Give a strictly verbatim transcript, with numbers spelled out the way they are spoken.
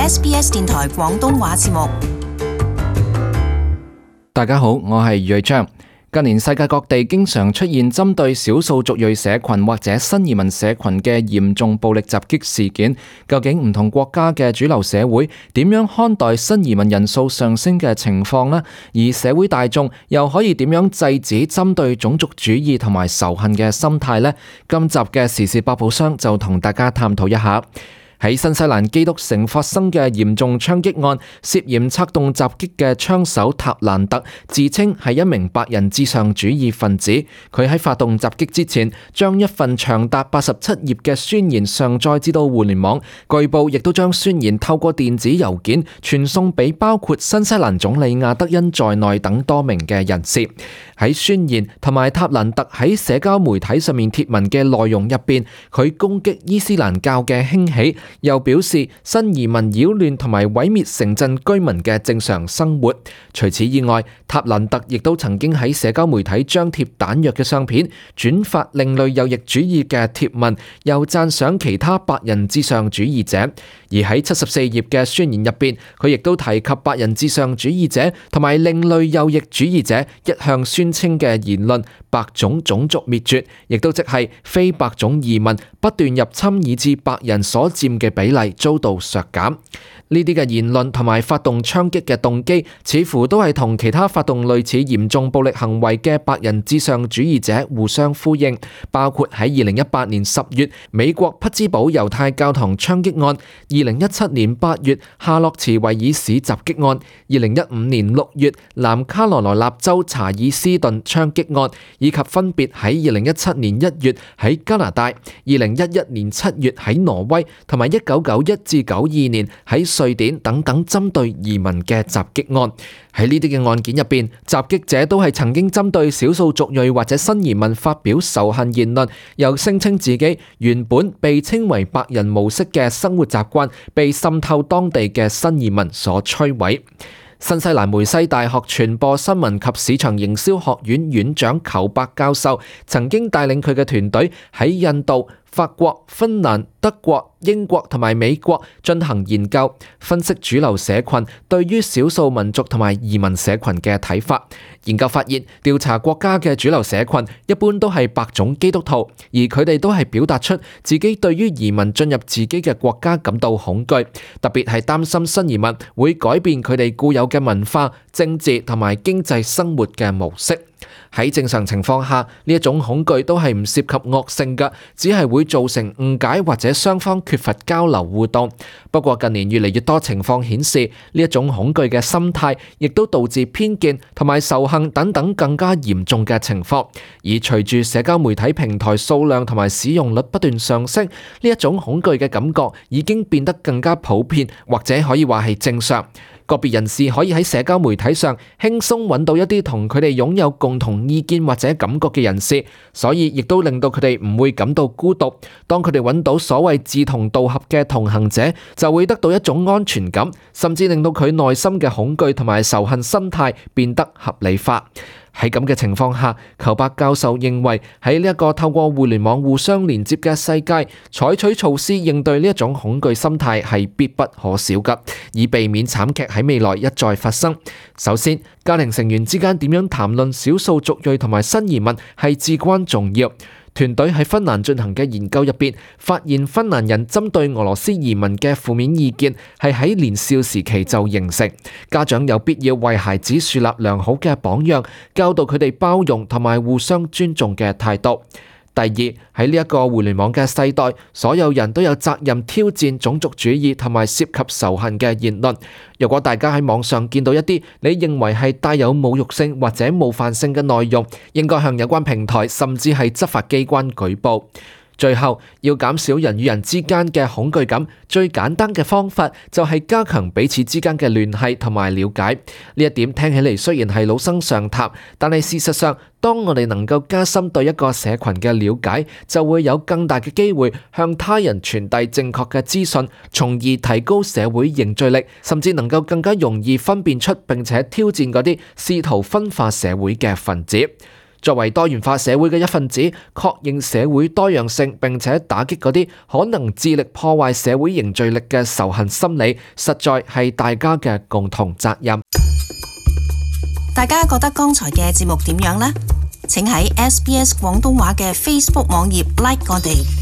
S B S 電台廣東話節目。大家好，我係余章。近年世界各地經常出現針對少數族裔社群或者新移民社群嘅嚴重暴力襲擊事件，究竟唔同國家嘅主流社會點樣看待新移民人數上升嘅情況呢？而社會大眾又可以點樣制止針對種族主義同埋仇恨嘅心態呢？今集嘅時事百寶箱就同大家探討一下。喺新西蘭基督城發生嘅嚴重槍擊案，涉嫌策動襲擊嘅槍手塔蘭特自稱係一名白人至上主義分子。佢喺發動襲擊之前，將一份長達八十七頁嘅宣言上載至到互聯網，據報亦都將宣言透過電子郵件傳送俾包括新西蘭總理亞德恩在內等多名嘅人士。喺宣言同埋塔蘭特喺社交媒體上面貼文嘅內容入邊，佢攻擊伊斯蘭教嘅興起，又表示新移民擾亂同埋毀滅城鎮居民嘅正常生活。除此以外，塔蘭特亦都曾經喺社交媒體張貼彈藥嘅相片，轉發另類右翼主義嘅貼文，又讚賞其他白人至上主義者。而喺七十四頁嘅宣言入邊，佢亦都提及白人至上主義者同埋另類右翼主義者一向宣稱嘅言論，白種種族滅絕，亦都即係非白種移民不斷入侵，以致白人所佔嘅比例遭到削減。呢啲嘅言論同埋發動槍擊嘅動機，似乎都係同其他發動類似嚴重暴力行為嘅白人至上主義者互相呼應，包括喺二零一八年十月美國匹茲堡猶太教堂槍擊案，二零一七年八月夏洛茨維爾市襲擊案，二零一五年六月南卡羅來納州查爾斯頓槍擊案，以及分別喺二零一七年一月喺加拿大、二零一一年七月喺挪威，同埋一九九一至九二年喺瑞典等等針對移民嘅襲擊案。喺呢啲嘅案件入邊，襲擊者都係曾經針對少數族裔或者新移民發表仇恨言論，又聲稱自己原本被稱為白人模式嘅生活習慣被滲透當地嘅新移民所摧毀。新西蘭梅西大學傳播新聞及市場營銷學院院長裘伯教授曾經帶領佢嘅團隊喺印度、法國、芬蘭、德國、英國同埋美國進行研究，分析主流社群對於少數民族同埋移民社群嘅睇法。研究發現，調查國家嘅主流社群一般都係白種基督徒，而佢哋都係表達出自己對於移民進入自己嘅國家感到恐懼，特別係擔心新移民會改變佢哋固有嘅文化、政治同埋經濟生活嘅模式。喺正常情況下，呢一種恐懼都係唔涉及惡性嘅，只係會造成誤解或者雙方缺乏交流互動。不過近年越嚟越多情況顯示，呢一種恐懼嘅心態亦都導致偏見同埋仇恨等等更加嚴重嘅情況。而隨住社交媒體平台數量同埋使用率不斷上升，呢一種恐懼嘅感覺已經變得更加普遍，或者可以話係正常。個別人士可以喺社交媒體上輕鬆揾到一啲同佢哋擁有共同意見或者感覺嘅人士，所以亦都令到佢哋唔會感到孤獨。當佢哋揾到所謂志同道合嘅同行者，就會得到一種安全感，甚至令到佢內心嘅恐懼同埋仇恨心態變得合理化。喺咁嘅情況下，裘伯教授認為喺呢一個透過互聯網互相連接嘅世界，採取措施應對呢一種恐懼心態係必不可少㗎，以避免慘劇喺未來一再發生。首先，家庭成員之間點樣談論少數族裔同埋新移民係至關重要。團隊喺芬蘭進行嘅研究入邊，發現芬蘭人針對俄羅斯移民嘅負面意見係喺年少時期就形成。家長有必要為孩子樹立良好嘅榜樣，教導佢哋包容同埋互相尊重嘅態度。第二，喺呢一個互聯網嘅世代，所有人都有責任挑戰種族主義同埋涉及仇恨嘅言論。如果大家喺網上見到一啲你認為係帶有侮辱性或者冒犯性嘅內容，應該向有關平台甚至係執法機關舉報。最後，要減少人與人之間嘅恐懼感，最簡單嘅方法就係加強彼此之間嘅聯繫同埋了解。呢一點聽起嚟雖然係老生常談，但係事實上，當我哋能夠加深對一個社群嘅了解，就會有更大嘅機會向他人傳遞正確嘅資訊，從而提高社會凝聚力，甚至能夠更加容易分辨出並且挑戰嗰啲試圖分化社會嘅分子。作為多元化社會嘅一份子，確認社會多樣性，並且打擊嗰啲可能致力破壞社會凝聚力嘅仇恨心理，實在係大家嘅共同責任。大家覺得剛才嘅節目點樣呢？請喺 S B S 廣東話嘅 Facebook 網頁 like 我哋。